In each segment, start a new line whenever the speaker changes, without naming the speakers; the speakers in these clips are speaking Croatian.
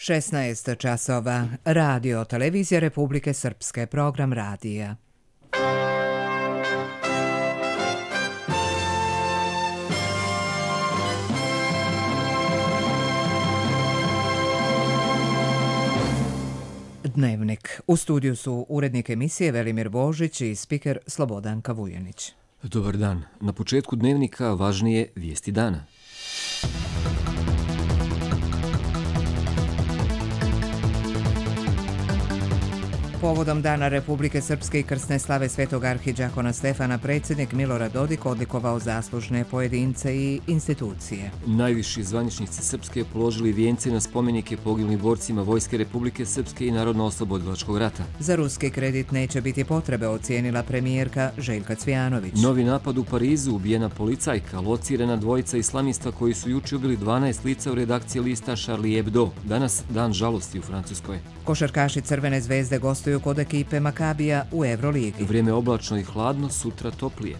16 časova. Radio Televizija Republike Srpske. Program radija. Dnevnik. U studiju su urednik emisije Velimir Božić i spiker Slobodanka Vujanić.
Dobar dan. Na početku dnevnika važnije vijesti dana.
Povodom Dana Republike Srpske i krsne slave Svetog arhidžakona Stefana predsjednik Milorad Dodik odlikovao zaslužne pojedince i institucije.
Najviši zvaničnici Srpske položili vijence na spomenike poginulim borcima Vojske Republike Srpske i Narodno-oslobodilačkog rata.
Za ruski kredit neće biti potrebe, ocijenila premijerka Željka Cvijanović.
Novi napad u Parizu, ubijena policajka, locirana dvojica islamista koji su juče ubili 12 lica u redakciji lista Charlie Hebdo. Danas dan žalosti u Francuskoj.
Košarkaši Crvene zvezde gostuju kod ekipe Makabija u Euroligi.
Vrijeme oblačno i hladno, sutra toplije.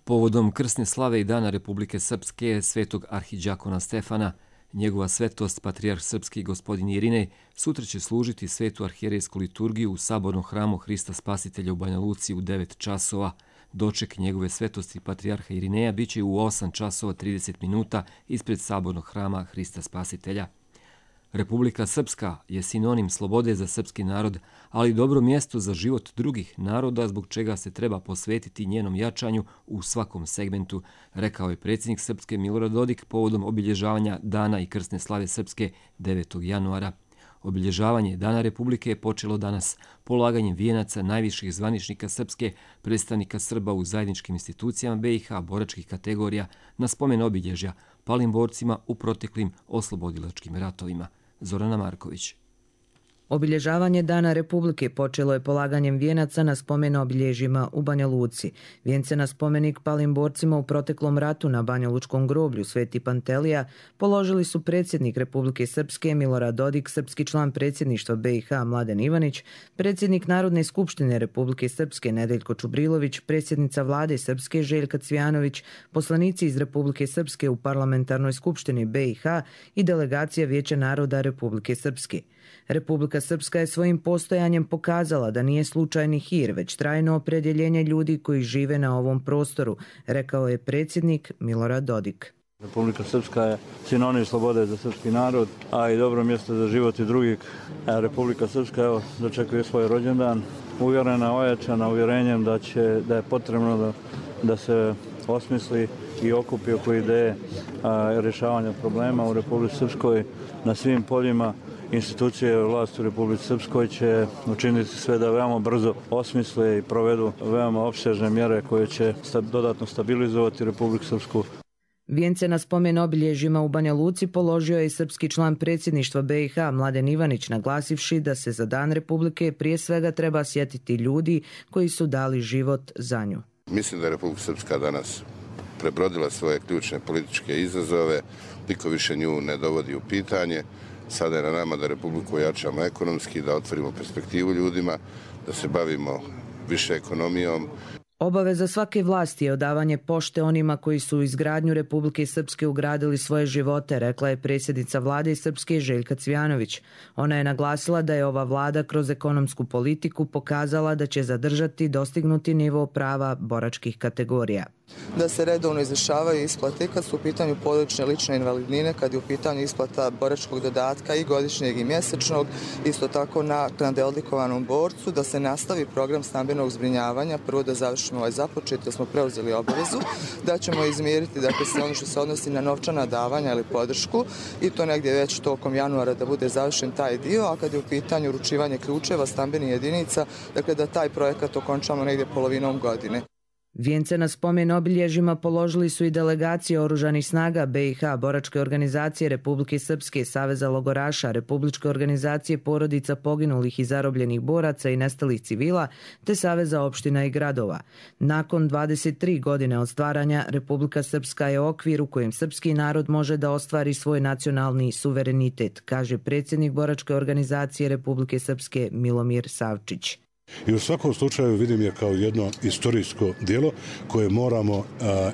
Povodom krsne slave i Dana Republike Srpske Svetog arhidžakona Stefana, njegova svetost patrijarh srpski gospodin Irinej sutra će služiti svetu arhijerejsku liturgiju u sabornom hramu Hrista Spasitelja u Banja Luci u 9 časova. Doček njegove svetosti patrijarha Irineja bit će u 8 časova 30 minuta ispred sabornog hrama Hrista Spasitelja. Republika Srpska je sinonim slobode za srpski narod, ali i dobro mjesto za život drugih naroda, zbog čega se treba posvetiti njenom jačanju u svakom segmentu, rekao je predsjednik Srpske Milorad Dodik povodom obilježavanja Dana i krsne slave Srpske 9. januara. Obilježavanje Dana Republike je počelo danas polaganjem vijenaca najviših zvaničnika Srpske, predstavnika Srba u zajedničkim institucijama BiH, boračkih kategorija, na spomen obilježja palim borcima u proteklim oslobodilačkim ratovima. Zorana Marković.
Obilježavanje Dana Republike počelo je polaganjem vijenaca na spomen obilježjima u Banja Luci. Vijence na spomenik palim borcima u proteklom ratu na Banjalučkom groblju Sveti Pantelija položili su predsjednik Republike Srpske Milorad Dodik, srpski član predsjedništva BiH Mladen Ivanić, predsjednik Narodne skupštine Republike Srpske Nedeljko Čubrilović, predsjednica vlade Srpske Željka Cvijanović, poslanici iz Republike Srpske u Parlamentarnoj skupštini BiH i delegacija Vijeća naroda Republike Srpske. Republika Srpska je svojim postojanjem pokazala da nije slučajni hir, već trajno opredjeljenje ljudi koji žive na ovom prostoru, rekao je predsjednik Milorad Dodik.
Republika Srpska je sinonim slobode za srpski narod, a i dobro mjesto za život i drugih. Republika Srpska dočekuje svoj rođendan, uvjerena, ojačana uvjerenjem da je potrebno da se osmisli i okupi oko ideje rješavanja problema u Republici Srpskoj na svim poljima. Institucije vlasti u Republici Srpskoj će učiniti sve da veoma brzo osmisle i provedu veoma opsežne mjere koje će dodatno stabilizovati Republiku Srpsku.
Vijence na spomen obilježjima u Banja Luci položio je i srpski član predsjedništva BiH Mladen Ivanić, naglasivši da se za Dan Republike prije svega treba sjetiti ljudi koji su dali život za nju.
Mislim da je Republika Srpska danas prebrodila svoje ključne političke izazove, niko više nju ne dovodi u pitanje. Sada je na nama da Republiku ojačamo ekonomski, da otvorimo perspektivu ljudima, da se bavimo više ekonomijom.
Obaveza svake vlasti je odavanje pošte onima koji su u izgradnju Republike Srpske ugradili svoje živote, rekla je predsjednica vlade Srpske Željka Cvijanović. Ona je naglasila da je ova vlada kroz ekonomsku politiku pokazala da će zadržati dostignuti nivo prava boračkih kategorija.
Da se redovno izvršavaju isplate kad su u pitanju porodične lične invalidnine, kad je u pitanju isplata boračkog dodatka i godišnjeg i mjesečnog, isto tako naknade odlikovanom borcu, da se nastavi program stambenog zbrinjavanja, prvo da završimo ovaj započet, da smo preuzeli obavezu, da ćemo izmiriti sve ono što se odnosi na novčana davanja ili podršku i to negdje već tokom januara da bude završen taj dio, a kad je u pitanju uručivanje ključeva stambenih jedinica, dakle da taj projekat okončamo negdje polovinom godine.
Vijence na spomen obilježjima položili su i delegacije Oružanih snaga BiH, Boračke organizacije Republike Srpske, Saveza logoraša, Republičke organizacije porodica poginulih i zarobljenih boraca i nestalih civila, te Saveza opština i gradova. Nakon 23 godine od stvaranja, Republika Srpska je okvir u kojem srpski narod može da ostvari svoj nacionalni suverenitet, kaže predsjednik Boračke organizacije Republike Srpske Milomir Savčić.
I u svakom slučaju vidim je kao jedno istorijsko djelo koje moramo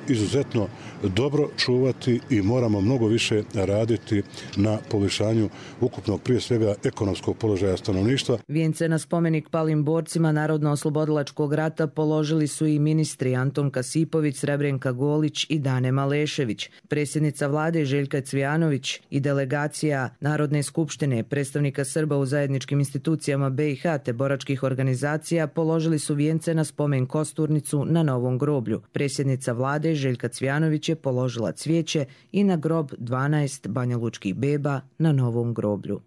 izuzetno dobro čuvati i moramo mnogo više raditi na poboljšanju ukupnog, prije svega, ekonomskog položaja stanovništva.
Vijence na spomenik palim borcima Narodno-oslobodilačkog rata položili su i ministri Anton Kasipović, Srebrenka Golić i Dane Malešević, predsjednica vlade Željka Cvijanović i delegacija Narodne skupštine, predstavnika Srba u zajedničkim institucijama BiH te boračkih organizacija položili su vijence na spomen kosturnicu na Novom groblju. Predsjednica vlade Željka Cvijanović je položila cvijeće i na grob 12 banjalučkih beba na Novom groblju.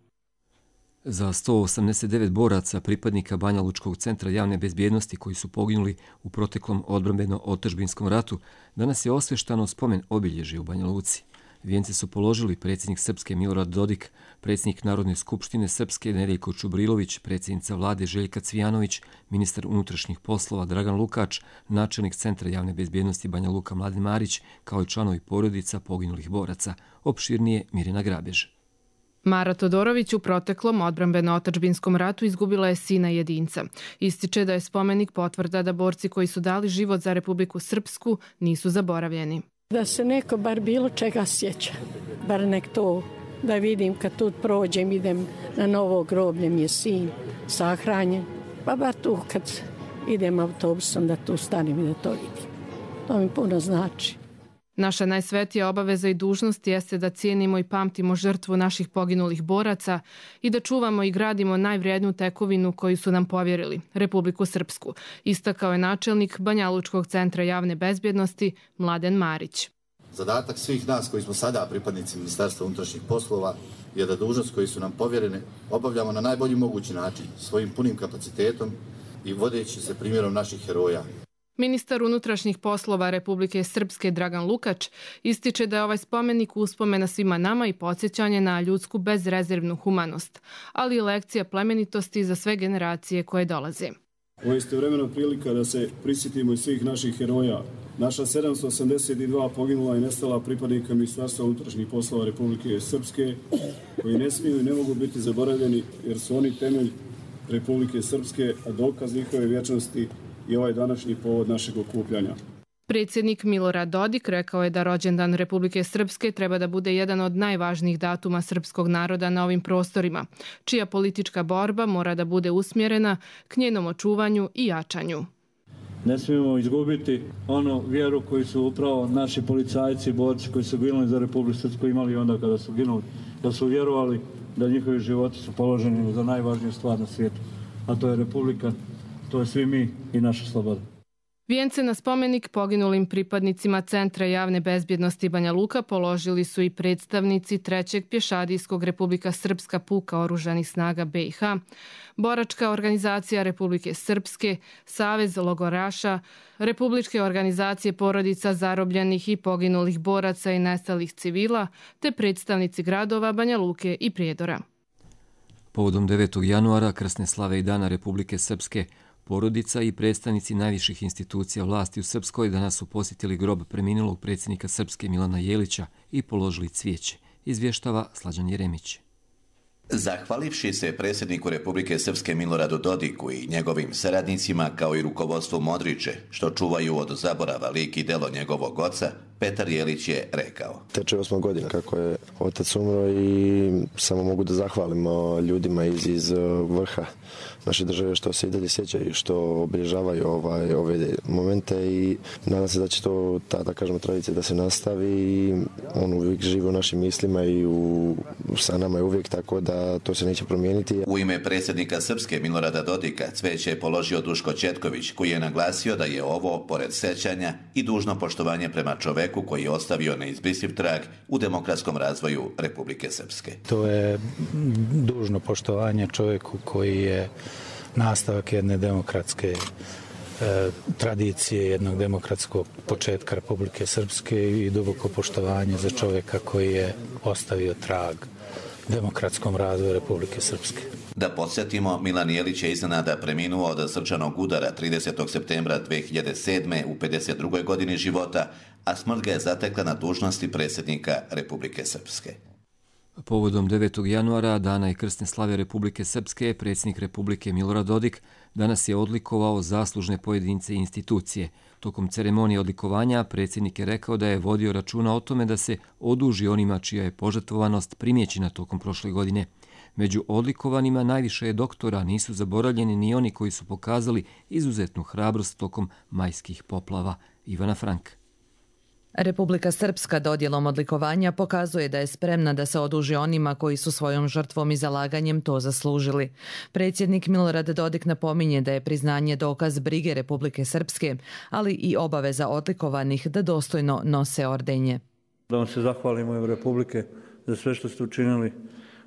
Za 189 boraca pripadnika Banjalučkog centra javne bezbjednosti koji su poginuli u proteklom odbrambeno-otadžbinskom ratu, danas je osvještano spomen obilježje u Banja Luci. Vijence su položili predsjednik Srpske Milorad Dodik, predsjednik Narodne skupštine Srpske Nedeljko Čubrilović, predsjednica vlade Željka Cvijanović, ministar unutrašnjih poslova Dragan Lukač, načelnik Centra javne bezbjednosti Banja Luka Mladen Marić, kao i članovi porodica poginulih boraca. Opširnije Mirjana Grabež.
Mara Todorović u proteklom odbrambeno-otadžbinskom ratu izgubila je sina jedinca. Ističe da je spomenik potvrda da borci koji su dali život za Republiku Srpsku nisu zaboravljeni.
Da se neko bar bilo čega sjeća, bar nek to da vidim kad tu prođem, idem na Novo groblje, mi je sin sahranjen, pa bar tu kad idem autobusom da tu stanem i da to vidim. To mi puno znači.
Naša najsvetija obaveza i dužnost jeste da cijenimo i pamtimo žrtvu naših poginulih boraca i da čuvamo i gradimo najvrijedniju tekovinu koju su nam povjerili, Republiku Srpsku, istakao je načelnik Banjalučkog centra javne bezbjednosti Mladen Marić.
Zadatak svih nas koji smo sada pripadnici Ministarstva unutrašnjih poslova je da dužnost koju su nam povjerene obavljamo na najbolji mogući način, svojim punim kapacitetom i vodeći se primjerom naših heroja.
Ministar unutrašnjih poslova Republike Srpske Dragan Lukač ističe da je ovaj spomenik uspomena svima nama i podsjećanje na ljudsku bezrezervnu humanost, ali i lekcija plemenitosti za sve generacije koje dolaze.
Ovo je istovremeno prilika da se prisjetimo i svih naših heroja. Naša 782 poginula i nestala pripadnika Ministarstva unutrašnjih poslova Republike Srpske, koji ne smiju i ne mogu biti zaboravljeni jer su oni temelj Republike Srpske, a dokaz njihove vječnosti i ovaj današnji povod našeg okupljanja.
Predsjednik Milorad Dodik rekao je da rođendan Republike Srpske treba da bude jedan od najvažnijih datuma srpskog naroda na ovim prostorima, čija politička borba mora da bude usmjerena k njenom očuvanju i jačanju.
Ne smijemo izgubiti onu vjeru koju su upravo naši policajci i borci koji su ginuli za Republiku Srpsku imali onda kada su ginuli, da su vjerovali da njihovi životi su položeni za najvažniju stvar na svijetu, a to je Republika. To je svi mi i naša sloboda.
Vijence na spomenik poginulim pripadnicima Centra javne bezbjednosti Banja Luka položili su i predstavnici 3. pješadijskog Republika Srpska puka oružanih snaga BiH, Boračka organizacija Republike Srpske, Savez logoraša, Republičke organizacije porodica zarobljenih i poginulih boraca i nestalih civila, te predstavnici gradova Banja Luke i Prijedora.
Povodom 9. januara, krsne slave i dana Republike Srpske, porodica i predstavnici najviših institucija vlasti u Srpskoj danas su posjetili grob preminulog predsjednika Srpske Milana Jelića i položili cvijeće, izvještava Slađan Jeremić.
Zahvalivši se predsjedniku Republike Srpske Miloradu Dodiku i njegovim saradnicima kao i rukovodstvu Modriče, što čuvaju od zaborava lik i delo njegovog oca, Petar Jelić je rekao.
Teče 8 godina kako je otac umro i samo mogu da zahvalim ljudima iz vrha naše države što se i dalje sjećaju, što obilježavaju ove momente i nadam se da će to ta tradicija da se nastavi i on uvijek živi u našim mislima i sa nama je uvijek, tako da to se neće promijeniti.
U ime predsjednika Srpske Milorada Dodika cvijeće je položio Duško Četković, koji je naglasio da je ovo, pored sećanja, i dužno poštovanje prema čoveku koji je ostavio neizbrisiv trag u demokratskom razvoju Republike Srpske.
To je dužno poštovanje čovjeku koji je nastavak jedne demokratske tradicije, jednog demokratskog početka Republike Srpske i duboko poštovanje za čovjeka koji je ostavio trag demokratskom razvoju Republike Srpske.
Da podsjetimo, Milan Jelić je iznenada preminuo od srčanog udara 30. septembra 2007. u 52. godini života, a smrt ga je zatekla na dužnosti predsjednika Republike Srpske.
Povodom 9. januara, dana i krsne slave Republike Srpske, predsjednik Republike Milorad Dodik danas je odlikovao zaslužne pojedince i institucije. Tokom ceremonije odlikovanja predsjednik je rekao da je vodio računa o tome da se oduži onima čija je požrtvovanost primjećena tokom prošle godine. Među odlikovanima najviše je doktora, nisu zaboravljeni ni oni koji su pokazali izuzetnu hrabrost tokom majskih poplava. Ivana Frank.
Republika Srpska dodjelom odlikovanja pokazuje da je spremna da se oduži onima koji su svojom žrtvom i zalaganjem to zaslužili. Predsjednik Milorad Dodik napominje da je priznanje dokaz brige Republike Srpske, ali i obaveza odlikovanih da dostojno nose ordenje.
Da vam se zahvalimo u Republike za sve što ste učinili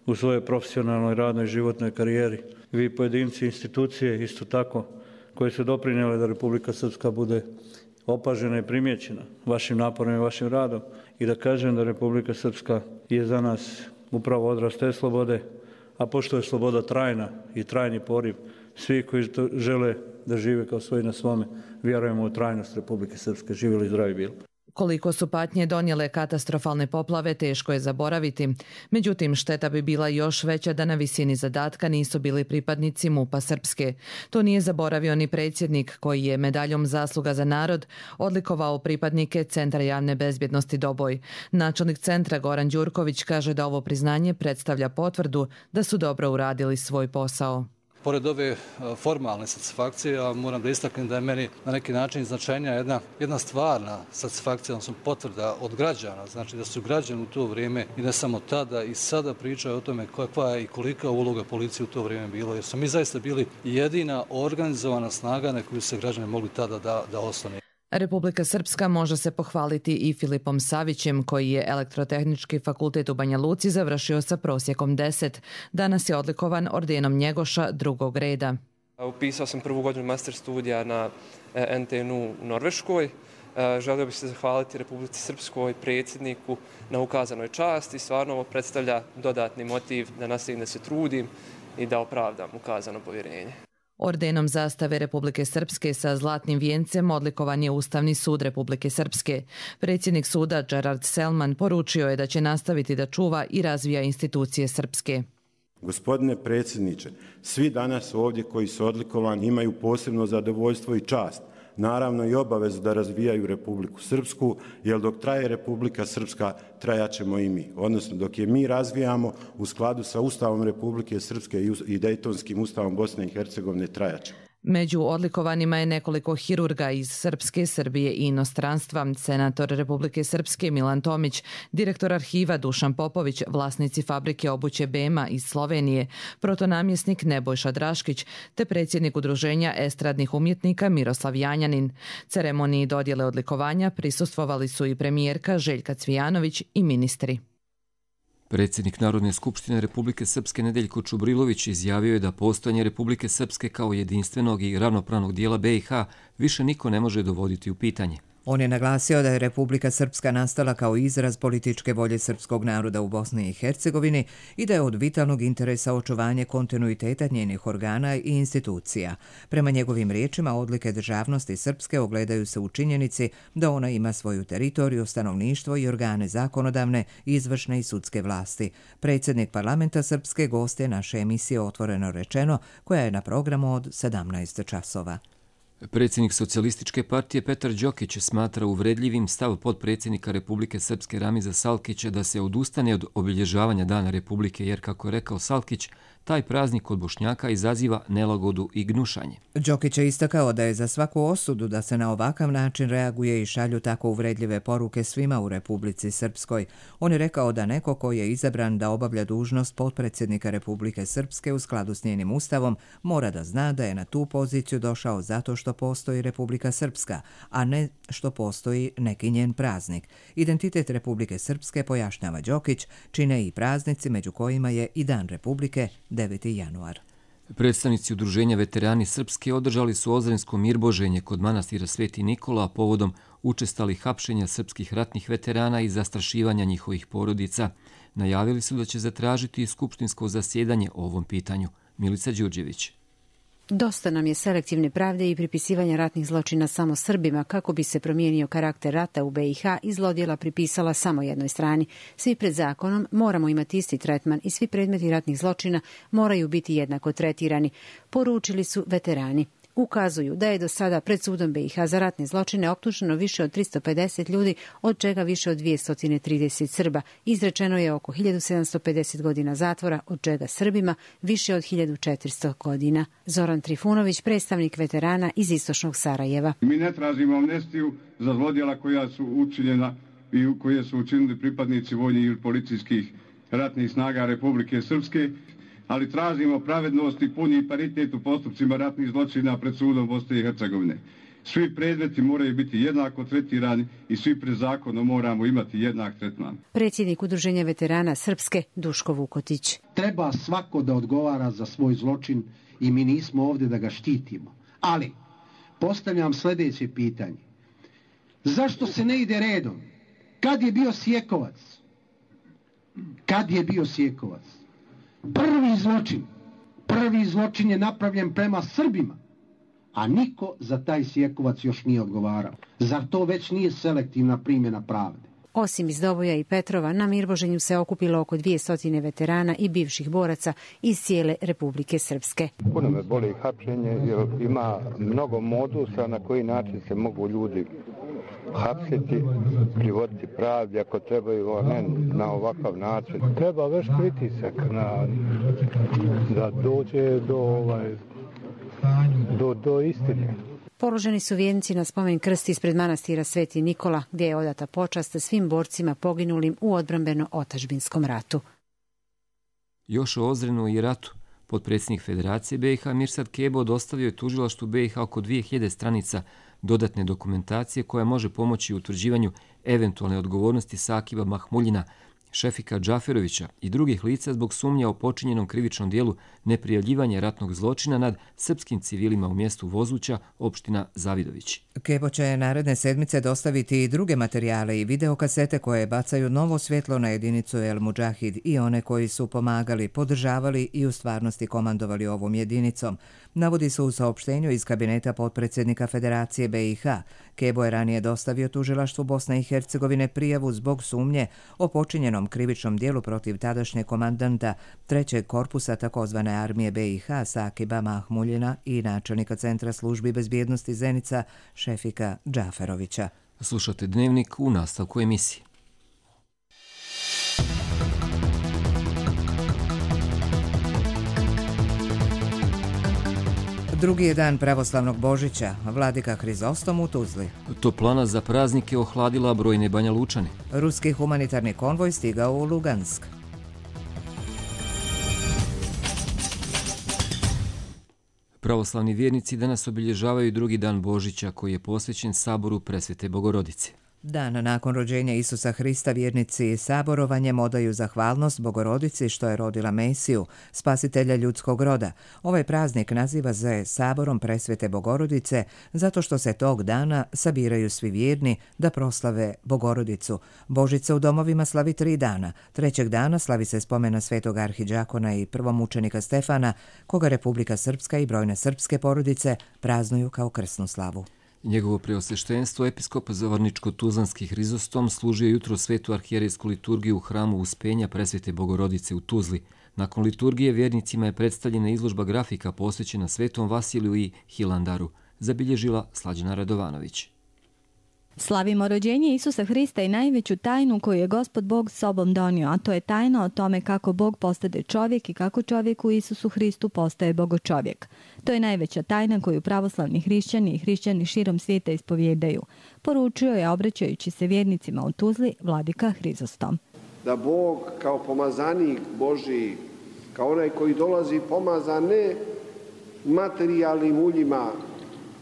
u svojoj profesionalnoj, radnoj, životnoj karijeri. Vi pojedinci, institucije isto tako koje su doprinijele da Republika Srpska bude opažena i primjećena vašim naporom i vašim radom i da kažem da Republika Srpska je za nas upravo odraz te slobode, a pošto je sloboda trajna i trajni poriv, svi koji to žele da žive kao svoji na svome, vjerujemo u trajnost Republike Srpske. Živjeli zdravi bili.
Koliko su patnje donijele katastrofalne poplave, teško je zaboraviti. Međutim, šteta bi bila još veća da na visini zadatka nisu bili pripadnici MUP-a Srpske. To nije zaboravio ni predsjednik koji je medaljom Zasluga za narod odlikovao pripadnike Centra javne bezbjednosti Doboj. Načelnik centra Goran Đurković kaže da ovo priznanje predstavlja potvrdu da su dobro uradili svoj posao.
Pored ove formalne satisfakcije, ja moram da istaknem da je meni na neki način značajnija jedna stvarna satisfakcija, odnosno potvrda od građana. Znači da su građani u to vrijeme i ne samo tada i sada pričaju o tome kakva je i kolika uloga policije u to vrijeme bilo. Jer smo mi zaista bili jedina organizovana snaga na koju se građani mogli tada da oslone.
Republika Srpska može se pohvaliti i Filipom Savićem, koji je Elektrotehnički fakultet u Banja Luci završio sa prosjekom 10. Danas je odlikovan ordenom Njegoša drugog reda.
Upisao sam prvu godinu master studija na NTNU u Norveškoj. Želio bih se zahvaliti Republici Srpskoj, predsjedniku na ukazanoj časti. Stvarno ovo predstavlja dodatni motiv da nastavim da se trudim i da opravdam ukazano povjerenje.
Ordenom zastave Republike Srpske sa zlatnim vijencem odlikovan je Ustavni sud Republike Srpske. Predsjednik suda Gerard Selman poručio je da će nastaviti da čuva i razvija institucije Srpske.
Gospodine predsjedniče, svi danas ovdje koji su odlikovani imaju posebno zadovoljstvo i čast, naravno i obavezu da razvijaju Republiku Srpsku, jer dok traje Republika Srpska, trajaćemo i mi. Odnosno, dok je mi razvijamo u skladu sa Ustavom Republike Srpske i Dejtonskim ustavom Bosne i Hercegovine, trajaćemo.
Među odlikovanima je nekoliko hirurga iz Srpske, Srbije i inostranstva, senator Republike Srpske Milan Tomić, direktor arhiva Dušan Popović, vlasnici fabrike obuće Bema iz Slovenije, protonamjesnik Nebojša Draškić, te predsjednik Udruženja estradnih umjetnika Miroslav Janjanin. Ceremoniji dodjele odlikovanja prisustvovali su i premijerka Željka Cvijanović i ministri.
Predsjednik Narodne skupštine Republike Srpske Nedeljko Čubrilović izjavio je da postojanje Republike Srpske kao jedinstvenog i ravnopravnog dijela BiH više niko ne može dovoditi u pitanje.
On je naglasio da je Republika Srpska nastala kao izraz političke volje srpskog naroda u Bosni i Hercegovini i da je od vitalnog interesa očuvanje kontinuiteta njenih organa i institucija. Prema njegovim riječima, odlike državnosti Srpske ogledaju se u činjenici da ona ima svoju teritoriju, stanovništvo i organe zakonodavne, izvršne i sudske vlasti. Predsjednik parlamenta Srpske gost je naše emisije Otvoreno rečeno, koja je na programu od 17 časova.
Predsjednik Socijalističke partije Petar Đokić smatra uvredljivim stav potpredsjednika Republike Srpske Ramiza Salkića da se odustane od obilježavanja Dana Republike, jer, kako je rekao Salkić, taj praznik kod Bošnjaka izaziva nelagodu i gnušanje.
Đokić je istakao da je za svaku osudu da se na ovakav način reaguje i šalju tako uvredljive poruke svima u Republici Srpskoj. On je rekao da neko ko je izabran da obavlja dužnost potpredsjednika Republike Srpske u skladu s njenim ustavom mora da zna da je na tu poziciju došao zato što postoji Republika Srpska, a ne što postoji neki njen praznik. Identitet Republike Srpske, pojašnjava Đokić, čine i praznici među kojima je i Dan Republike 9. januar.
Predstavnici Udruženja Veterani Srpske održali su ozrensko mirboženje kod manastira Sveti Nikola povodom učestalih hapšenja srpskih ratnih veterana i zastrašivanja njihovih porodica. Najavili su da će zatražiti skupštinsko zasjedanje o ovom pitanju. Milica Đurđević.
Dosta nam je selektivne pravde i pripisivanja ratnih zločina samo Srbima kako bi se promijenio karakter rata u BiH i zlodjela pripisala samo jednoj strani. Svi pred zakonom moramo imati isti tretman i svi predmeti ratnih zločina moraju biti jednako tretirani, poručili su veterani. Ukazuju da je do sada pred sudom BiH za ratne zločine optuženo više od 350 ljudi, od čega više od 230 Srba. Izrečeno je oko 1750 godina zatvora, od čega Srbima više od 1400 godina. Zoran Trifunović, predstavnik veterana iz istočnog Sarajeva.
Mi ne tražimo amnestiju za zlodjela koja su učinjena i koje su učinili pripadnici vojnih ili policijskih ratnih snaga Republike Srpske, ali tražimo pravednost i puni paritet u postupcima ratnih zločina pred sudom Bosne i Hercegovine. Svi predmeti moraju biti jednako tretirani i svi pred zakonom moramo imati jednak tretman.
Predsjednik Udruženja veterana Srpske Duško Vukotić.
Treba svako da odgovara za svoj zločin i mi nismo ovdje da ga štitimo. Ali postavljam sljedeće pitanje. Zašto se ne ide redom? Kad je bio Sjekovac? Kad je bio Sjekovac? Prvi zločin je napravljen prema Srbima, a niko za taj Sjekovac još nije odgovarao. Zar to već nije selektivna primjena pravde?
Osim iz Doboja i Petrova, na Mirboženju se okupilo oko 200 veterana i bivših boraca iz cijele Republike Srpske.
Puno me boli hapšenje jer ima mnogo modusa na koji način se mogu ljudi hapsiti, privoditi pravdi ako trebaju, a ne na ovakav način. Treba već pritisak da dođe do istine.
Položeni su vijenci na spomen krst ispred manastira Sveti Nikola, gdje je odata počast svim borcima poginulim u odbrambeno-otadžbinskom ratu.
Još o Ozrenu i ratu. Potpredsjednik Federacije BiH Mirsad Kebo dostavio je tužilaštvu BiH oko 2000 stranica dodatne dokumentacije koja može pomoći u utvrđivanju eventualne odgovornosti Sakiba Mahmuljina, Šefika Džaferovića i drugih lica zbog sumnja o počinjenom krivičnom dijelu neprijavljivanja ratnog zločina nad srpskim civilima u mjestu Vozuća, opština Zavidović.
Kebo će naredne sedmice dostaviti i druge materijale i videokasete koje bacaju novo svjetlo na jedinicu El Mudžahid i one koji su pomagali, podržavali i u stvarnosti komandovali ovom jedinicom. Navodi se u saopštenju iz kabineta potpredsjednika Federacije BiH. Kebo je ranije dostavio tužilaštvu Bosne i Hercegovine prijavu zbog sumnje o počinjenom krivičnom dijelu protiv tadašnje komandanta 3. korpusa takozvane armije BiH Sakiba Mahmuljina i načelnika Centra službi bezbjednosti Zenica Šefika Džaferovića.
Slušate Dnevnik u nastavku emisije.
Drugi je dan pravoslavnog Božića, vladika Hrizostom u Tuzli.
Toplana za praznike ohladila brojne Banja Lučane.
Ruski humanitarni konvoj stigao u Lugansk.
Pravoslavni vjernici danas obilježavaju drugi dan Božića koji je posvećen saboru Presvete Bogorodice.
Dan nakon rođenja Isusa Hrista vjernici saborovanjem odaju zahvalnost Bogorodici što je rodila Mesiju, spasitelja ljudskog roda. Ovaj praznik naziva se saborom Presvete Bogorodice zato što se tog dana sabiraju svi vjerni da proslave Bogorodicu. Božica u domovima slavi 3 dana. 3. dana slavi se spomena svetog arhidžakona i prvomučenika Stefana, koga Republika Srpska i brojne srpske porodice praznuju kao krsnu slavu.
Njegovo preosveštenstvo, episkop Zavorničko-Tuzlanski Hrizostom, služio jutro svetu arhijerejsku liturgiju u hramu Uspenja Presvete Bogorodice u Tuzli. Nakon liturgije vjernicima je predstavljena izložba grafika posvećena Svetom Vasiliju i Hilandaru, zabilježila Slađana Radovanović.
Slavimo rođenje Isusa Hrista i najveću tajnu koju je Gospod Bog sobom donio, a to je tajna o tome kako Bog postade čovjek i kako čovjek u Isusu Hristu postaje bogočovjek. To je najveća tajna koju pravoslavni hrišćani i hrišćani širom svijeta ispovjedaju, poručio je obraćajući se vjernicima u Tuzli vladika Hrizostom.
Da Bog kao pomazanik Božiji, kao onaj koji dolazi pomazan ne materijalnim uljima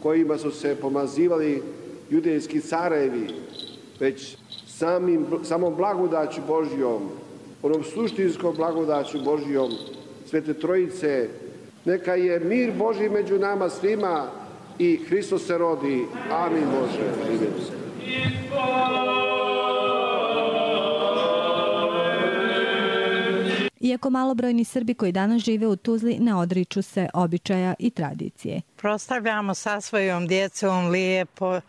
kojima su se pomazivali judejski carevi, već samom blagodaću Božjom, onom suštinskom blagodaću Božjom, Svete Trojice. Neka je mir Božji među nama svima i Hristos se rodi. Amin Bože.
Iako malobrojni Srbi koji danas žive u Tuzli ne odriču se običaja i tradicije.
Proslavljamo sa svojom djecom lijepo,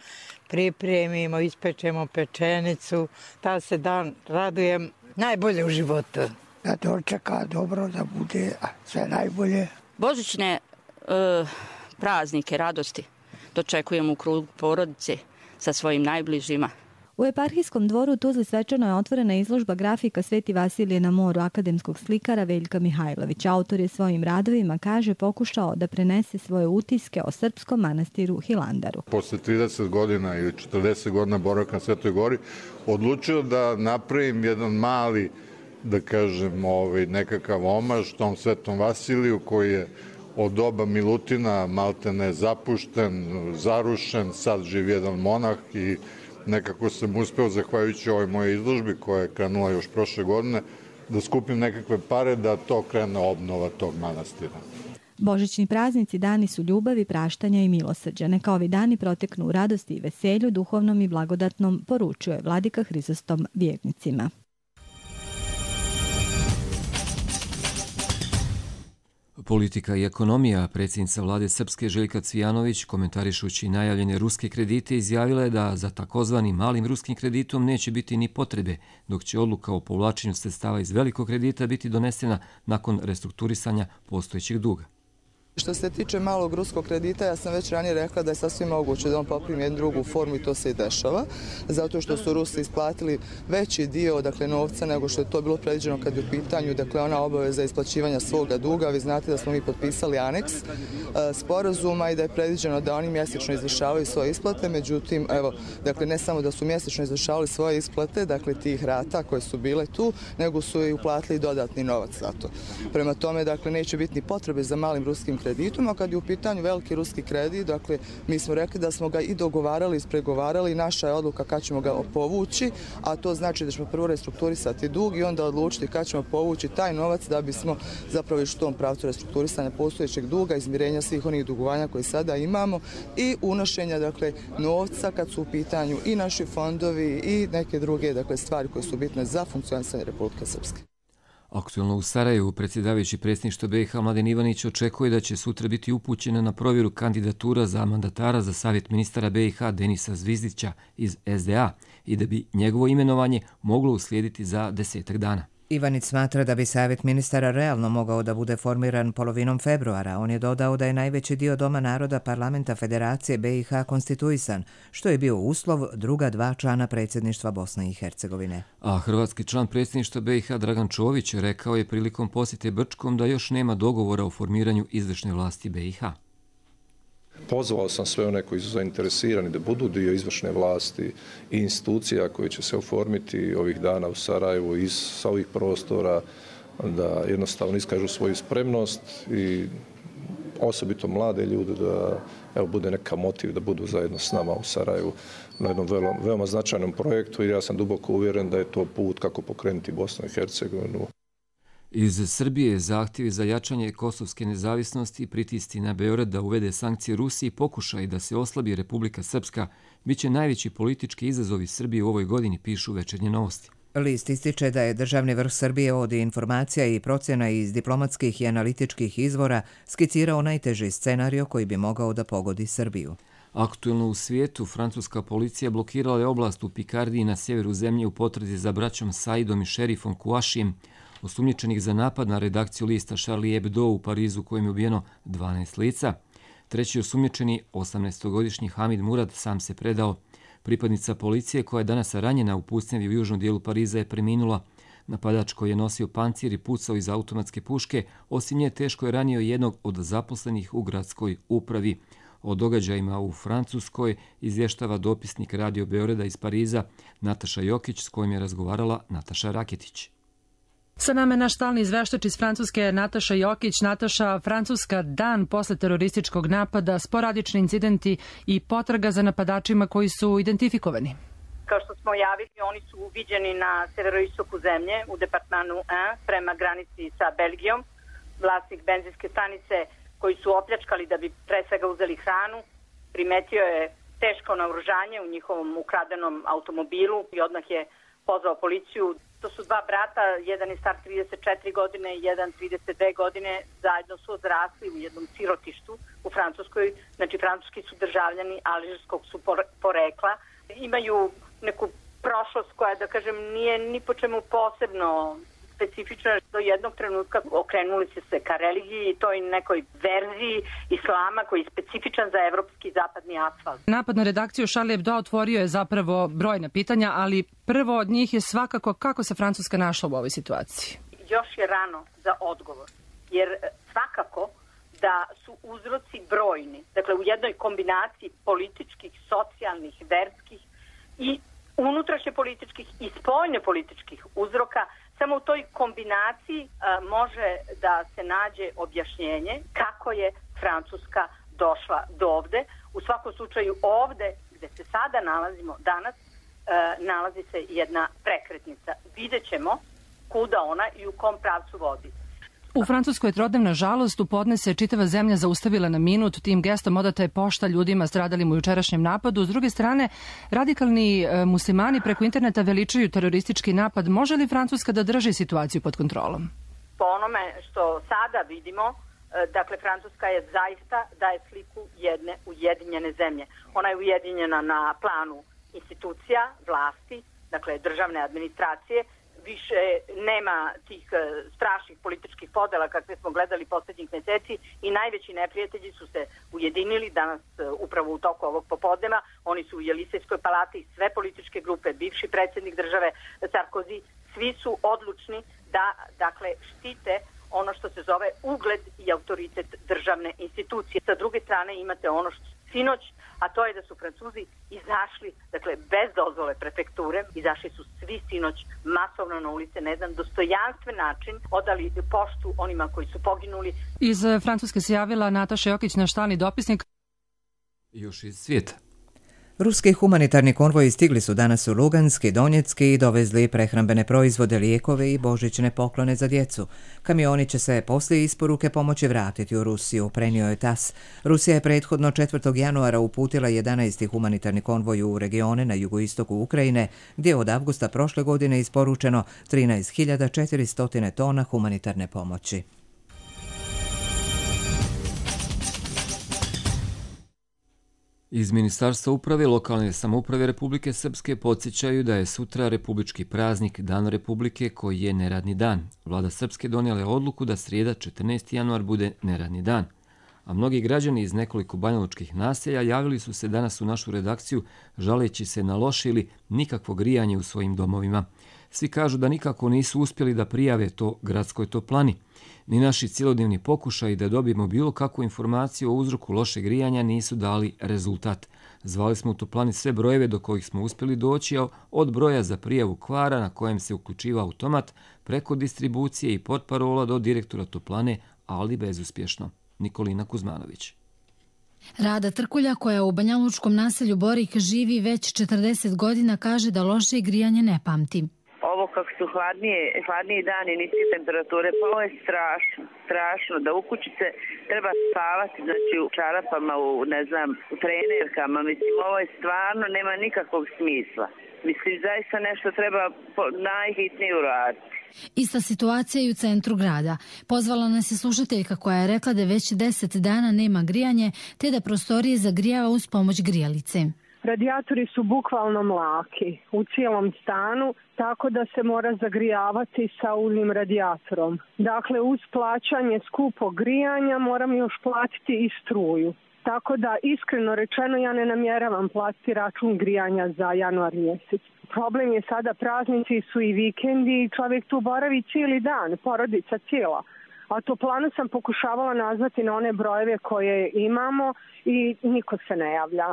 pripremimo, ispečemo pečenicu, ta se dan radujem najbolje u životu.
Da dočeka dobro, da bude sve najbolje.
Božićne praznike, radosti dočekujemo u krugu porodice sa svojim najbližima.
U eparhijskom dvoru u Tuzli svečano je otvorena izložba grafika Sveti Vasilije na moru akademskog slikara Veljka Mihajlovića. Autor je svojim radovima, kaže, pokušao da prenese svoje utiske o srpskom manastiru Hilandaru.
Posle 30 godina ili 40 godina boravka na Svetoj Gori odlučio da napravim jedan mali, da kažem, nekakav omaž tom Svetom Vasiliju koji je od doba Milutina maltene zapušten, zarušen, sad živi jedan monah i nekako sam uspeo, zahvaljujući ovoj moje izložbi koja je krenula još prošle godine, da skupim nekakve pare da to krene obnova tog manastira.
Božićni praznici dani su ljubavi, praštanja i milosrđa. Neka ovi dani proteknu u radosti i veselju, duhovnom i blagodatnom, poručuje vladika Hrizostom vjernicima.
Politika i ekonomija. Predsjednica vlade Srpske Željka Cvijanović, komentarišući najavljene ruske kredite, izjavila je da za takozvanim malim ruskim kreditom neće biti ni potrebe, dok će odluka o povlačenju sredstava iz velikog kredita biti donesena nakon restrukturisanja postojećeg duga.
Što se tiče malog ruskog kredita, ja sam već ranije rekla da je sasvim moguće da on poprimi jednu drugu formu i to se i dešava, zato što su Rusi isplatili veći dio novca nego što je to bilo predviđeno kad je u pitanju ona obaveza isplaćivanja svoga duga. Vi znate da smo mi potpisali aneks sporazuma i da je predviđeno da oni mjesečno izvršavaju svoje isplate, međutim, ne samo da su mjesečno izvršavali svoje isplate, tih rata koje su bile tu, nego su i uplatili dodatni novac za to. Prema tome, neće biti ni potrebe za malim ruskim kreditom, a kad je u pitanju veliki ruski kredit, mi smo rekli da smo ga i dogovarali, ispregovarali, naša je odluka kad ćemo ga povući, a to znači da ćemo prvo restrukturisati dug i onda odlučiti kad ćemo povući taj novac da bismo zapravo išli u tom pravcu restrukturisanja postojećeg duga, izmirenja svih onih dugovanja koje sada imamo i unošenja novca kad su u pitanju i naši fondovi i neke druge stvari koje su bitne za funkcionisanje Republike Srpske.
Aktualno u Sarajevu predsjedavajući predsjedništva BiH Mladen Ivanić očekuje da će sutra biti upućena na provjeru kandidatura za mandatara za savjet ministara BiH Denisa Zvizdića iz SDA i da bi njegovo imenovanje moglo uslijediti za 10 dana.
Ivanić smatra da bi savjet ministara realno mogao da bude formiran polovinom februara. On je dodao da je najveći dio Doma naroda Parlamenta Federacije BiH konstituisan, što je bio uslov druga dva člana predsjedništva Bosne i Hercegovine.
A hrvatski član predsjedništva BiH Dragan Čović rekao je prilikom posjete Brčkom da još nema dogovora o formiranju izvršne vlasti BiH.
Pozvao sam sve one koji su zainteresirani da budu dio izvršne vlasti i institucija koje će se oformiti ovih dana u Sarajevu sa ovih prostora, da jednostavno iskažu svoju spremnost i osobito mlade ljude da bude neka motiv da budu zajedno s nama u Sarajevu na jednom veoma značajnom projektu i ja sam duboko uvjeren da je to put kako pokrenuti Bosnu i Hercegovinu.
Iz Srbije zahtjevi za jačanje kosovske nezavisnosti i pritisci na Beograd da uvede sankcije Rusiji pokušaj da se oslabi Republika Srpska biće najveći politički izazovi Srbije u ovoj godini, pišu Večernje novosti.
List ističe da je državni vrh Srbije od informacija i procjena iz diplomatskih i analitičkih izvora skicirao najteži scenario koji bi mogao da pogodi Srbiju.
Aktuelno u svijetu, francuska policija blokirala je oblast u Pikardiji na sjeveru zemlje u potrazi za braćom Saidom i šerifom Kouachijem, osumnjičenih za napad na redakciju lista Charlie Hebdo u Parizu kojem je ubijeno 12 lica. Treći osumnjičeni, 18-godišnji Hamid Murad, sam se predao. Pripadnica policije koja je danas ranjena u pucnjavi u južnom dijelu Pariza je preminula. Napadač koji je nosio pancir i pucao iz automatske puške, osim nje teško je ranio jednog od zaposlenih u gradskoj upravi. O događajima u Francuskoj izvještava dopisnik Radio Beograda iz Pariza Nataša Jokić, s kojim je razgovarala Nataša Raketić.
Sa nama je naš stalni izveštač iz Francuske Nataša Jokić. Nataša, Francuska dan posle terorističkog napada, sporadični incidenti i potraga za napadačima koji su identifikovani.
Kao što smo javili, oni su uviđeni na severoistoku zemlje u departmanu 1 prema granici sa Belgijom. Vlasnik benzinske stanice koji su opljačkali da bi pre svega uzeli hranu, primetio je teško naoružanje u njihovom ukradenom automobilu i odmah je pozvao policiju. To su dva brata, jedan je star 34 godine, jedan 32 godine, zajedno su odrasli u jednom sirotištu u Francuskoj. Znači, francuski su državljani alžirskog su porekla. Imaju neku prošlost koja, da kažem, nije ni po čemu posebno specifična. Do jednog trenutka okrenuli se ka religiji, toj nekoj verziji islama koji je specifičan za evropski zapadni asfalt.
Napad na redakciju Charlie Hebdo otvorio je zapravo brojna pitanja, ali prvo od njih je svakako kako se Francuska našla u ovoj situaciji.
Još je rano za odgovor, jer svakako da su uzroci brojni. Dakle, u jednoj kombinaciji političkih, socijalnih, verskih i unutrašnje političkih i spoljne političkih uzroka. Samo u toj kombinaciji može da se nađe objašnjenje kako je Francuska došla do ovde. U svakom slučaju ovde gde se sada nalazimo danas nalazi se jedna prekretnica. Vidjet ćemo kuda ona i u kom pravcu vodi.
U Francuskoj je trodnevna žalost, u podne se čitava zemlja zaustavila na minut, tim gestom odata je pošta ljudima stradalim u jučerašnjem napadu. S druge strane, radikalni muslimani preko interneta veličaju teroristički napad. Može li Francuska da drži situaciju pod kontrolom?
Po onome što sada vidimo, dakle, Francuska je zaista daje sliku jedne ujedinjene zemlje. Ona je ujedinjena na planu institucija, vlasti, dakle državne administracije. Više nema tih strašnih političkih podela kakve smo gledali poslednjih meseci i najveći neprijatelji su se ujedinili danas upravo u toku ovog popodneva. Oni su u Jelisejskoj palati, sve političke grupe, bivši predsjednik države Sarkozy, svi su odlučni da, dakle, štite ono što se zove ugled i autoritet državne institucije. Sa druge strane imate ono što sinoć, a to je da su Francuzi izašli, dakle, bez dozvole prefekture, izašli su svi sinoć masovno na ulice na jedan dostojanstven način, odali poštu onima koji su poginuli.
Iz Francuske se javila Nataša Jokić, naš stalni dopisnik.
Još iz svijeta.
Ruski humanitarni konvoji stigli su danas u Lugansk i Donjecki i dovezli prehrambene proizvode, lijekove i božićne poklone za djecu. Kamioni će se poslije isporuke pomoći vratiti u Rusiju, prenio je TASS. Rusija je prethodno 4. januara uputila 11. humanitarni konvoj u regione na jugoistoku Ukrajine, gdje je od avgusta prošle godine isporučeno 13.400 tona humanitarne pomoći.
Iz Ministarstva uprave i lokalne samouprave Republike Srpske podsjećaju da je sutra republički praznik Dan Republike koji je neradni dan. Vlada Srpske donijela je odluku da srijeda 14. januar bude neradni dan. A mnogi građani iz nekoliko banjalučkih naselja javili su se danas u našu redakciju žaleći se na loše ili nikakvo grijanje u svojim domovima. Svi kažu da nikako nisu uspjeli da prijave to gradskoj toplani. Ni naši cjelodnevni pokušaji da dobijemo bilo kakvu informaciju o uzroku lošeg grijanja nisu dali rezultat. Zvali smo u toplani sve brojeve do kojih smo uspjeli doći, od broja za prijavu kvara na kojem se uključiva automat, preko distribucije i portparola do direktora toplane, ali bezuspješno. Nikolina Kuzmanović.
Rada Trkulja, koja u banjalučkom naselju Borik živi već 40 godina, kaže da loše grijanje ne pamti.
Ovo kako su hladniji dani, niske temperature, pa ovo je strašno, da u kući se treba spavati, znači u čarapama, u trenerkama, mislim, ovo je stvarno, nema nikakvog smisla. Mislim, zaista nešto treba najhitnije uraditi.
Ista situacija i u centru grada. Pozvala nas je slušateljka koja je rekla da već 10 dana nema grijanje, te da prostorije zagrijava uz pomoć grijalice.
Radijatori su bukvalno mlaki u cijelom stanu, tako da se mora zagrijavati sa uljnim radijatorom. Dakle, uz plaćanje skupog grijanja moram još platiti i struju. Tako da, iskreno rečeno, ja ne namjeravam platiti račun grijanja za januar mjesec. Problem je sada, praznici su i vikendi i čovjek tu boravi cijeli dan, porodica cijela. A toplanu sam pokušavala nazvati na one brojeve koje imamo i niko se ne javlja.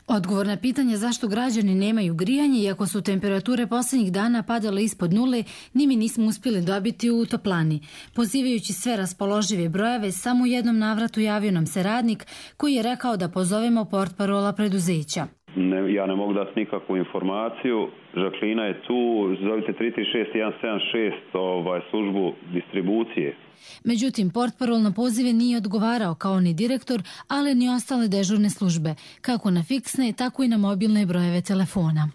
Odgovor na pitanje zašto građani nemaju grijanje, iako su temperature posljednjih dana padale ispod nule, ni mi nismo uspjeli dobiti u toplani. Pozivajući sve raspoložive brojeve, samo u jednom navratu javio nam se radnik koji je rekao da pozovemo portparola preduzeća.
Ja ne mogu dati nikakvu informaciju. Žaklina je tu, zovite 336-176 službu distribucije.
Međutim, portparol na pozive nije odgovarao kao ni direktor, ali ni ostale dežurne službe, kako na fiksne, tako i na mobilne brojeve telefona.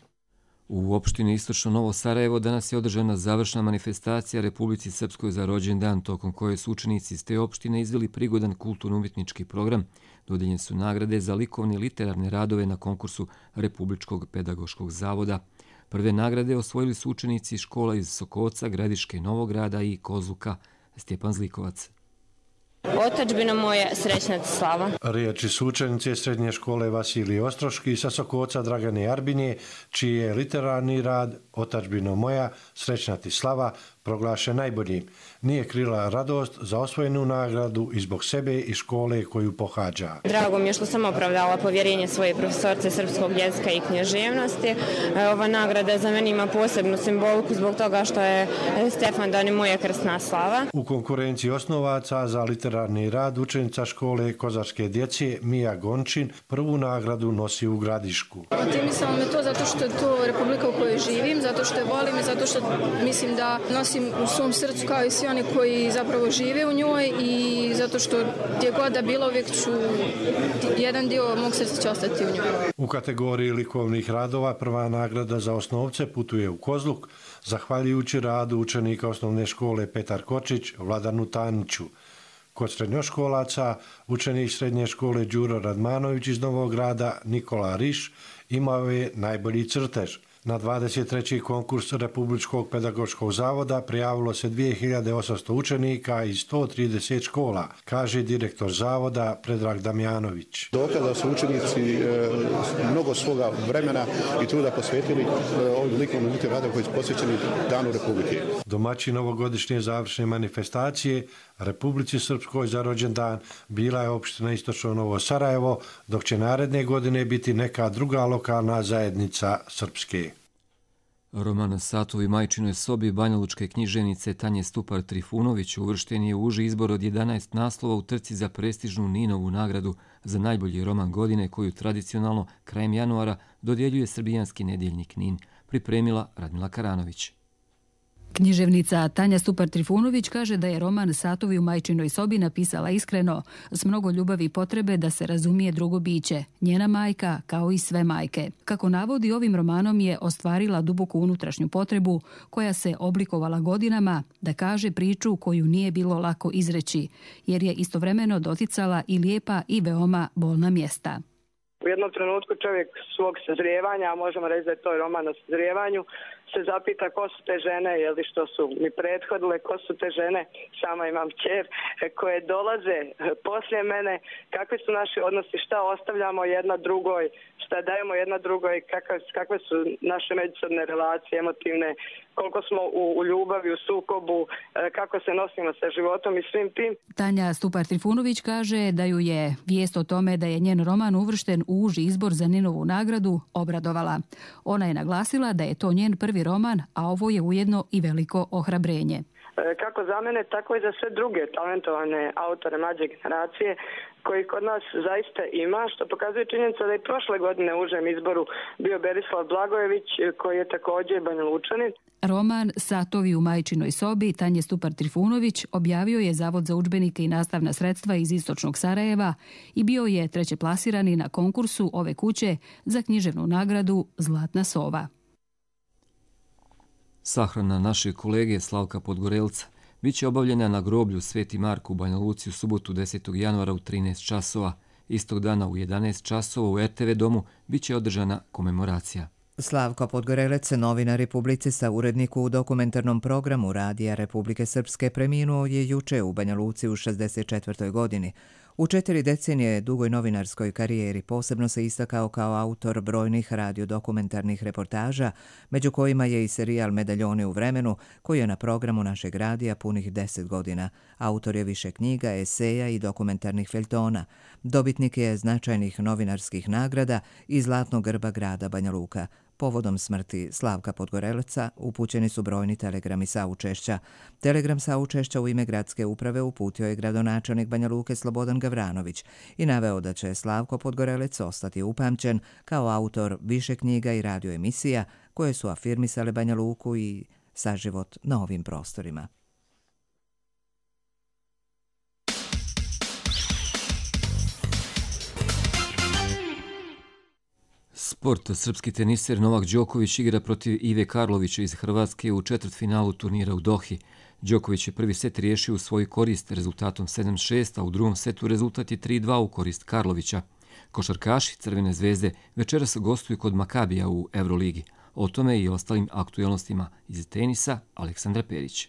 U opštini Istočno Novo Sarajevo danas je održana završna manifestacija Republici Srpskoj za rođendan, tokom koje su učenici iz te opštine izveli prigodan kulturno-umjetnički program. Dodijeljene su nagrade za likovne i literarne radove na konkursu Republičkog pedagoškog zavoda. Prve nagrade osvojili su učenici škola iz Sokoca, Gradiške, Novograda i Kozluka. Stjepan Zlikovac.
Otadžbina moja, srećna ti slava.
Riječi su učenice srednje škole Vasilije Ostroški sa Sokoca Dragane Arbinje, čiji je literarni rad Otadžbino moja, srećna ti slava proglašen najboljim. Nije krila radost za osvojenu nagradu i zbog sebe i škole koju pohađa.
Drago mi je što sam opravdala povjerenje svoje profesorce srpskog jezika i književnosti. Ova nagrada za mene ima posebnu simboliku zbog toga što je Stefan Dan moja krstna slava.
U konkurenciji osnovaca za literarni rad učenica škole kozačke djece Mija Gončin prvu nagradu nosi u Gradišku.
Motivisalo me to zato što je to republika u kojoj živim, zato što je volim i zato što mislim da nosim u svom srcu kao i svi oni koji zapravo žive u njoj i zato što gdje god da bilo uvijek ću, jedan dio mog srca će ostati u njoj.
U kategoriji likovnih radova prva nagrada za osnovce putuje u Kozluk, zahvaljujući radu učenika osnovne škole Petar Kočić, Vladanu Taniću. Kod srednjoškolaca učenik srednje škole Đuro Radmanović iz Novog Grada Nikola Riš imao je najbolji crtež. Na 23. konkurs Republičkog pedagoškog zavoda prijavilo se 2800 učenika iz 130 škola, kaže direktor zavoda Predrag Damjanović.
Dokada su učenici mnogo svoga vremena i truda posvetili ovim likovnim radom koji su posvećeni Danu Republike.
Domaćin ovogodišnje završne manifestacije Republici Srpskoj za rođendan bila je opština Istočno Novo Sarajevo, dok će naredne godine biti neka druga lokalna zajednica Srpske.
Roman Satovi majčinoj sobi banjalučke književnice Tanje Stupar Trifunović uvršten je u uži izbor od 11 naslova u trci za prestižnu Ninovu nagradu za najbolji roman godine koju tradicionalno krajem januara dodjeljuje srbijanski nedjeljnik Nin, pripremila Radmila Karanović.
Književnica Tanja Stupar Trifunović kaže da je roman Satovi u majčinoj sobi napisala iskreno, s mnogo ljubavi i potrebe da se razumije drugo biće, njena majka kao i sve majke. Kako navodi, ovim romanom je ostvarila duboku unutrašnju potrebu koja se oblikovala godinama da kaže priču koju nije bilo lako izreći, jer je istovremeno doticala i lijepa i veoma bolna mjesta.
U jednom trenutku čovjek svog sazrijevanja, a možemo reći da je to roman o sazrijevanju, se zapita ko su te žene, jel što su mi prethodile, ko su te žene, sama imam kćer, koje dolaze poslije mene, kakvi su naši odnosi, šta ostavljamo jedna drugoj, šta dajemo jedna drugoj, kakve su naše međusobne relacije emotivne, koliko smo u ljubavi, u sukobu, kako se nosimo sa životom i svim tim.
Tanja Stupar Trifunović kaže da ju je vijest o tome da je njen roman uvršten u uži izbor za Ninovu nagradu obradovala. Ona je naglasila da je to njen prvi roman, a ovo je ujedno i veliko ohrabrenje.
Kako za mene, tako i za sve druge talentovane autore mlađe generacije koji kod nas zaista ima, što pokazuje činjenica da je prošle godine u užem izboru bio Berislav Blagojević, koji je također Banjalučanin.
Roman Satovi u majčinoj sobi Tanje Stupar Trifunović objavio je Zavod za udžbenike i nastavna sredstva iz Istočnog Sarajeva i bio je treće plasirani na konkursu ove kuće za književnu nagradu Zlatna sova.
Sahrana našeg kolege Slavka Podgorelca biće obavljena na groblju Sveti Marko u Banja Luci u subotu 10. januara u 13 časova. Istog dana u 11 časova u RTV domu biće održana komemoracija.
Slavko Podgorelec, novinar i publicista, urednik u dokumentarnom programu Radija Republike Srpske, preminuo je juče u Banja Luci u 64. godini. U 4 decenije dugoj novinarskoj karijeri posebno se istakao kao autor brojnih radiodokumentarnih reportaža, među kojima je i serijal Medaljoni u vremenu, koji je na programu našeg radija punih 10 godina. Autor je više knjiga, eseja i dokumentarnih feljtona. Dobitnik je značajnih novinarskih nagrada i Zlatnog grba grada Banja Luka. Povodom smrti Slavka Podgorelca upućeni su brojni telegrami saučešća. Telegram saučešća u ime gradske uprave uputio je gradonačelnik Banja Luke Slobodan Gavranović i naveo da će Slavko Podgorelec ostati upamćen kao autor više knjiga i radioemisija koje su afirmisale Banja Luku i saživot na ovim prostorima.
Sport. Srpski teniser Novak Đoković igra protiv Ive Karlovića iz Hrvatske u četvrtfinalu turnira u Dohi. Đoković je prvi set riješio u svoju korist rezultatom 7-6, a u drugom setu rezultat je 3-2 u korist Karlovića. Košarkaši Crvene zvezde večeras gostuju kod Makabija u Euroligi. O tome i ostalim aktualnostima iz tenisa Aleksandra Perić.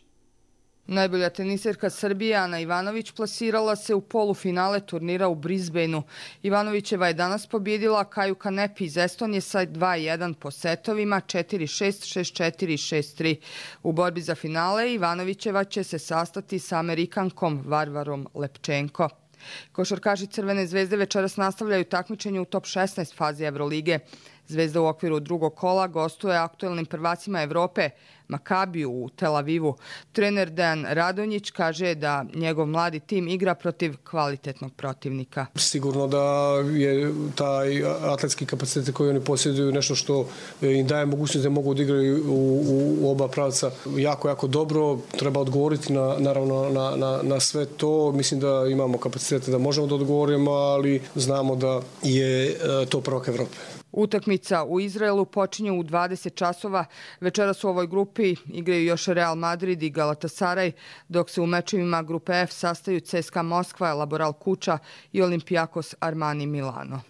Najbolja teniserka Srbije Ana Ivanović plasirala se u polufinale turnira u Brisbaneu. Ivanovićeva je danas pobjedila Kaju Kanepi iz Estonije sa 2-1 po setovima 4-6, 6-4 i 6-3. U borbi za finale Ivanovićeva će se sastati sa Amerikankom Varvarom Lepčenko. Košarkaši Crvene zvezde večeras nastavljaju takmičenje u top 16 fazi Evrolige. Zvezda u okviru drugog kola gostuje aktuelnim prvacima Evrope, Makabiju u Tel Avivu. Trener Dejan Radonjić kaže da njegov mladi tim igra protiv kvalitetnog protivnika.
Sigurno da je taj atletski kapacitet koji oni posjeduju nešto što im daje mogućnost da mogu odigrati u oba pravca jako dobro. Treba odgovoriti naravno na sve to. Mislim da imamo kapacitete da možemo da odgovorimo, ali znamo da je to prvak Evrope.
Utakmica u Izraelu počinje u 20 časova. Večeras u ovoj grupi igraju još Real Madrid i Galatasaray, dok se u mečevima grupe F sastaju CSKA Moskva, Laboral Kuča i Olympiakos Armani Milano.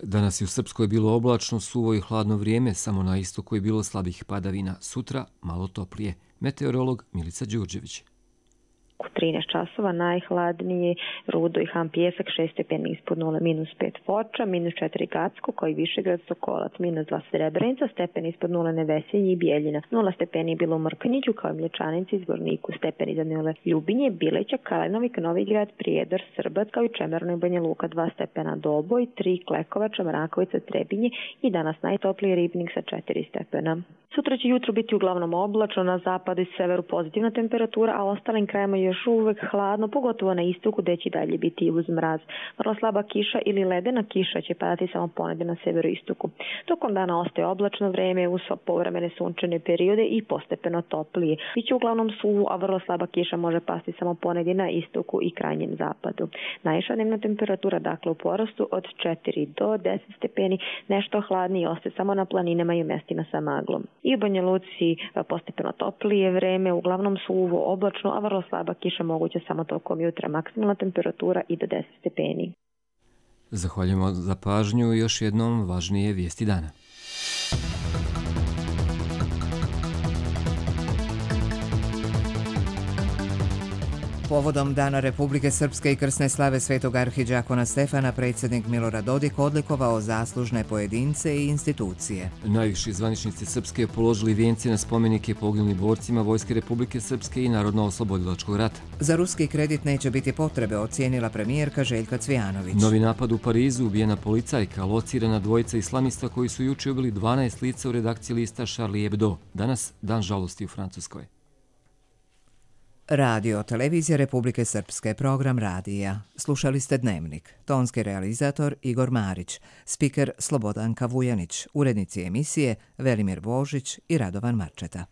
Danas je u Srpskoj bilo oblačno, suvo i hladno vrijeme, samo na istoku je bilo slabih padavina. Sutra malo toplije. Meteorolog Milica Đurđević.
U 13 časova najhladnije Rudo i Han Pijesak 6 stepeni ispod 0, -5 Foča, -4 Gacko, koji Višegrad, Sokolac, -2 Srebrenica, stepen ispod 0 Nevesinje i Bijeljina, 0 stepeni bilo u Mrkonjiću, kao i Mlječanici, Zvorniku, stepen iznad 0 Ljubinje, Bileća, Kalenovik, Novigrad, Prijedor, Srbac, kao i Čemerno i Banja Luka 2 stepena Doboj, 3 Klekovača, Mrakovica, Trebinje i danas najtopliji Ribnik sa 4 stepena. Sutra će jutro biti uglavnom oblačno, na zapadu i severu pozitivna temperatura, a ostalim krajima još uvek hladno, pogotovo na istoku gde će dalje biti uz mraz. Vrlo slaba kiša ili ledena kiša će padati samo ponegde na severu i istoku. Tokom dana ostaje oblačno vreme uz povremene sunčane periode i postepeno toplije. Biće uglavnom suvo, a vrlo slaba kiša može pasti samo ponegde na istoku i krajnjem zapadu. Najviša dnevna temperatura dakle u porastu od 4 do 10 stepeni, nešto hladnije ostaje samo na planinama i u mestima sa maglom. I u Banja Luci postepeno toplije vreme, uglavnom suvo, oblačno, a vrlo slaba kiša moguća samo tokom jutra. Maksimalna temperatura i do 10 stepeni.
Zahvaljujemo za pažnju i još jednom važnije vijesti dana.
Povodom Dana Republike Srpske i krsne slave svetog arhidžakona Stefana, predsjednik Milorad Dodik odlikovao zaslužne pojedince i institucije.
Najviši zvaničnici Srpske položili vijence na spomenike poginulim borcima Vojske Republike Srpske i Narodno-oslobodilačkog rata.
Za ruski kredit neće biti potrebe, ocijenila premijerka Željka Cvijanović.
Novi napad u Parizu, ubijena policajka, locirana dvojica islamista koji su juče ubili 12 lica u redakciji lista Charlie Hebdo. Danas dan žalosti u Francuskoj.
Radio Televizija Republike Srpske, program radija. Slušali ste Dnevnik. Tonski realizator Igor Marić, spiker Slobodanka Vujanić, urednici emisije Velimir Božić i Radovan Marčeta.